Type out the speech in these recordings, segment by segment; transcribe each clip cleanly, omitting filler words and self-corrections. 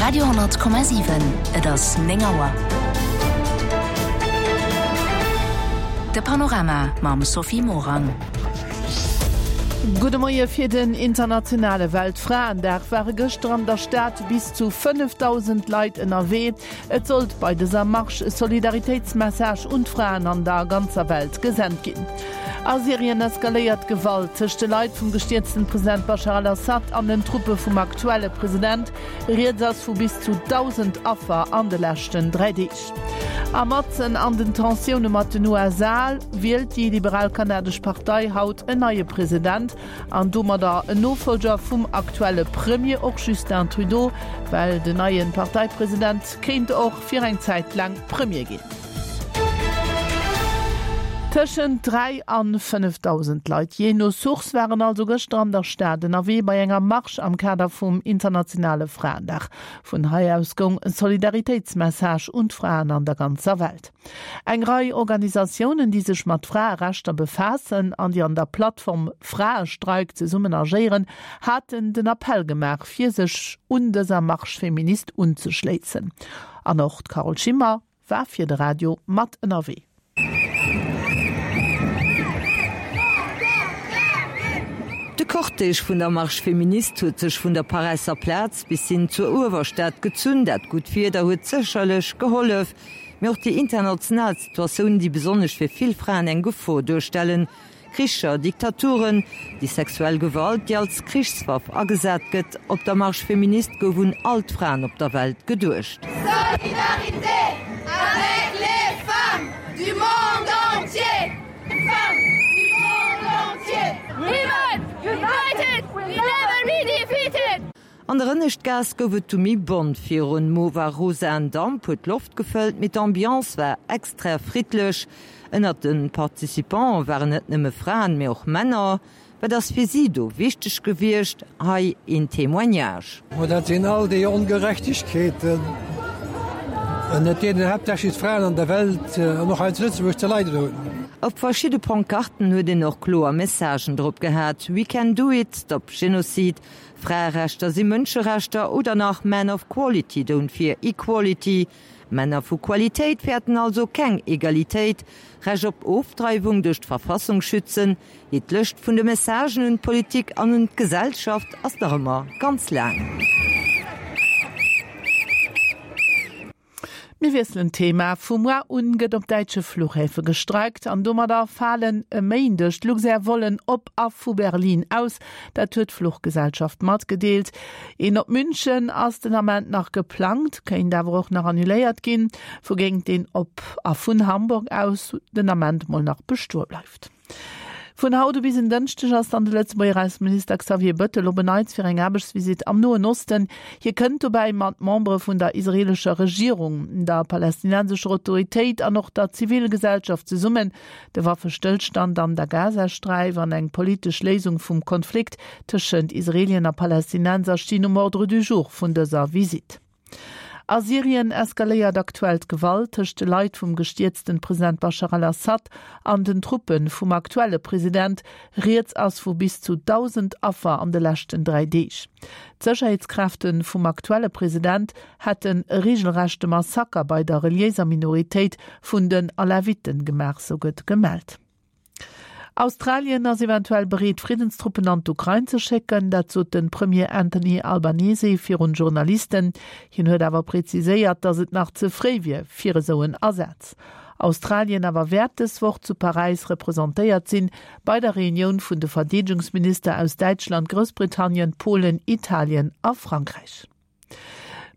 Radio 10,7 Et ass 9 Auer. De Panorama mam Sophie Morang. Gudde Moie, Fir den internationale Weltfraendag ware gëschter an der Stad bis zu 5.000 Leit ënnerwee. Et sollt bei dëser Marsch e Solidaritéitsmessage un d'Fraen an der ganzer Welt gesent ginn. A Syrien eskaléiert d'Gewalt tëscht de Leit vum gestierzten President Baschar al-Assad an den Truppe vum aktuelle President. Rieds ass vu bis zu 1.000 Affer an de leschten 3 Deeg. A matzen an den Tensioune mat den USA wielt déi liberal kanadesch Partei haut en neie President an domadder en Nofollger vum aktuelle Premier, och Justin Trudeau, well den neie Parteipresident kéint och fir eng Zäit laang Premier ginn. Tëschent 3 an 5.000 Leit, jee no Source, waren also gëschter an der Stad ënnerwee bei enger Marsch am Kader vum internationale Fraendag. Vun hei aus goung e Solidaritéitsmessage un d'Fraen an der ganzer Welt. Eng Rei Organisatiounen, déi sech mat Fraerechter befaassen an déi an der Plattform Fraestreik zesummen agéieren, haten den Appell gemaach, fir sech un dëser Marche féministe unzeschléissen. An och d'Carole Schimmer war fir de Radio mat ënnerwee. De Cortège vun der Marche féministe huet sech vun der Paräisser Plaz bis hin zur Uewerstad gezunn. Dat gutt Wieder huet sécherlech gehollef, mee och déi international Situatioun, déi besonnesch fir vill Fraen eng Gefor duerstellen, Kricher, Diktaturen, déi sexuell Gewalt, déi als Krichswaff agesat gëtt. Op der Marche féministe gouf un all d'Fraen op der Welt geduecht. Solidarité avec les femmes du monde entier! Femmes du monde entier! Women united will never be defeated! An der Ënneschtgaass gouf et du méi bont. Virun Mova rosaen Damp huet d'Loft gefëllt, mee d'Ambiance war extra friddlech. Ënnert de Participante waren net nëmme Fraen, mee och Männer. Wat ass fir si do wichteg gewiescht? Hei een Témoignage. Ma dat sinn all déi Ongerechtegkeeten, ënnert deenen haaptsächlech d'Fraen an der Welt an och hei zu Lëtzebuerg ze leiden hunn. Op verschidde Pancarten huet een och kloer Messagen drop gehat, We can do it, Stop Genocide, Fraerechter si Mënscherechter oder nach Men of Quality don't fear equality, Männer vu Qualitéit fäerten also keng Egalitéit, Recht op Ofdreiwung duerch d'Verfassung schützen. Jee, d'Lëscht vun de Messagen un d'Politik an un d'Gesellschaft ass nach ëmmer ganz laang. Mir wiesselen d'Thema. Vu muar un gëtt op däitsche Fluchhäfe gestreikt an domadder falen e Méindeg d'Luxair-Vollen op a vu Berlin aus. Dat huet d'Fluchgesellschaft matgedeelt. Een op München ass den Ament nach geplangt, kéint awer och nach annuléiert ginn, wougéint deen op a vun Hamburg aus den Ament mol nach bestoe bleift. Vun haut u bis en Dënschdeg ass dann de Lëtzebuerger Ausseminister Xavier Bëttel op en Neits fir eng Aarbechtsvisitt am Noen Osten. Hie kënnt dobäi mat Membere vun der israeelescher Regierung, der palästinensescher Autoritéit an och der Zivilgesellschaft zesummen. De Waffestëllstand an der Gazasträif an eng politesch Léisung vum Konflikt tëschent Israelien a Palästinenser stinn um Ordre du jour vun dëser Visitt. A Syrien eskaléiert aktuell d'Gewalt tëscht de Leit vum gestierzten President Baschar al-Assad an den Truppe vum aktuelle President. Rieds ass vu bis zu 1.000 Affer an de leschten 3 Deeg. D'Sécherheetskräfte vum aktuelle President hätten e reegelrechte Massaker bei der reliéiser Minoritéit vun den Alawiten gemaach, sou gëtt gemellt. Australien ass eventuell bereet, Friddenstruppen an d'Ukrain ze schécken. Dat sot de Premier Anthony Albanese virun Journalisten. Hien huet awer preziséiert, datt et nach ze fréi wier fir esou en Asaz. Australien awer wäert dës Woch zu Paräis representéiert sinn, bei der Reunioun vun de Verdeedegungsminister aus Däitschland, Groussbritannien, Polen, Italien a Frankräich.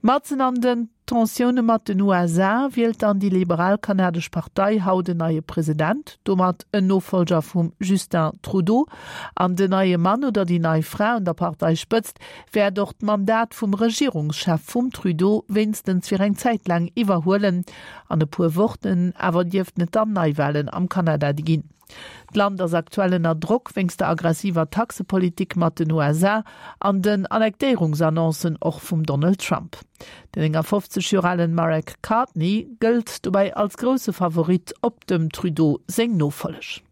Matzen an den Tensioune mat den USA wielt dann déi liberal kanadesch Partei haut en neie President, domat en Nofollger vum Justin Trudeau. An den neie Mann oder déi nei Fra un der Parteispëtzt wäert och d'Mandat vum Regierungschef vum Trudeau wéinstens fir eng Zäit laang iwwerhuelen. An e puer Wochen awer dierften et dann Neiwalen am Kanada ginn. D'Land ass aktuell ënner Drock wéinst der aggressiver Taxepolitik mat den USA an den Annektéierungsannoncen och vum Donald Trump. Den 59 Joer alen Marek Cartney gëllt dobäi als grousse Favorit op dem Trudeau seng Nofolleg.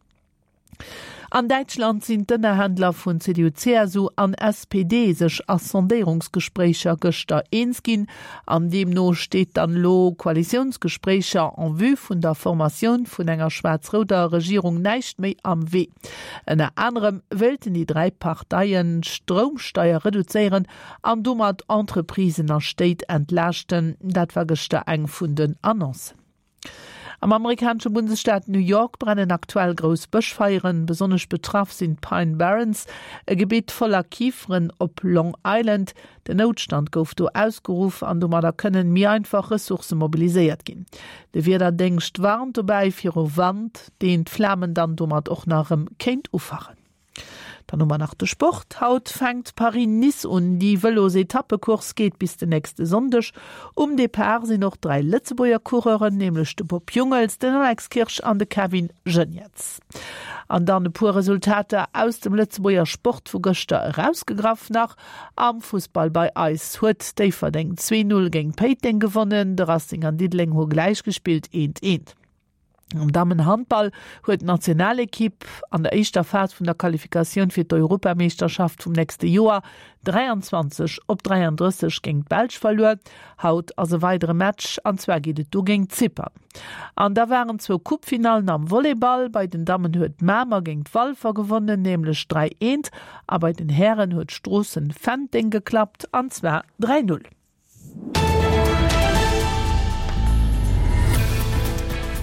An Däitschland sinn d'Ënnerhändler vun CDU-CSU an SPD sech a Sondéierungsgespréicher gëschter eens ginn. An deemno steet dann elo Koalitiounsgespréicher en vue vun der Formatioun vun enger schwaarz-rouder Regierung näischt méi am Wee. Ënner anerem wéilten déi 3 Parteien d'Stroumsteier reduzéieren an domat Entreprisen a Stéit entlaaschten. Dat war gëschter eng vun den Annoncen. Am amerikanesche Bundesstaat New York brennen aktuell grouss Bëschfeieren. Besonnesch betraff sinn d'Pine Barrens, e Gebitt voller Kiferen op Long Island. Den Noutstand gouf do ausgeruff an domadder kënnen méi einfach Ressourcë mobiliséiert ginn. De Wiederdéngscht warnt dobäi viru Wand, deen d'Flamen dann domat och nach erëm kéint ufachen. Dann hu mer nach de Sport. Haut fänkt Paris-Nice un. Déi Vëlos-Etappecourse geet bis den nächste Sonndeg. Um Depart sinn och 3 Lëtzebuerger Coureuren, nämlech de Bob Jungels, den Alex Kirsch an de Kevin Geniets. An dann e puer Resultater aus dem Lëtzebuerger Sport vu gëschter erausgegraff nach. Am Fussball bei eis huet Déifferdeng 2, 0 géint Péiteng gewonnen. De Racing an Diddeleng hu gläich gespillt, 1, 1. Am Dammenhandball huet d'Nationalekipp an der éischter Phas vun der Qualifikatioun fir d'Europameeschterschaft vum nächste Joer 23 op 33 géint d'Belsch verluer. Haut ass e weidere Match an zwar geet et do géint Zypern. An da waren zwou Coupefinallen am Volleyball. Bei den Dammen huet Mamer géint Walfer gewonnen, nämlech 3, 1 a bei den Hären huet Stroossen Fenteng geklappt an zwar 3, 0.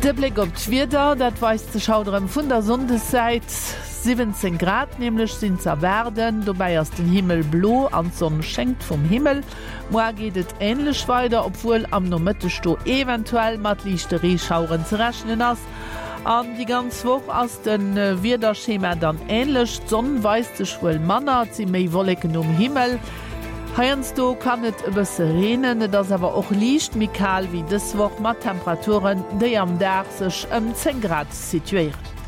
De Bléck op d'Wieder, dat weist sech haut erëm vun der Sonndessäit. 17 Grad nämlech sinn z'erwaarden, dobäi ass den Himmel blo an d'Sonn schéngt vum Himmel. Moar geet et änlech weider, obwuel am Nomëtteg do eventuell mat liichte Reeschaueren ze rechnen ass. An déi ganz Woch ass de Wiederschema dann änlech, d'Sonn weist sech wuel manner, et si méi Wolleken um Himmel. Heiansdo kann et e bësse reenen, et ass awer och liicht méi kal wéi dës Woch, mat Temperaturen, déi am Dag sech ëm 10 Grad situéieren.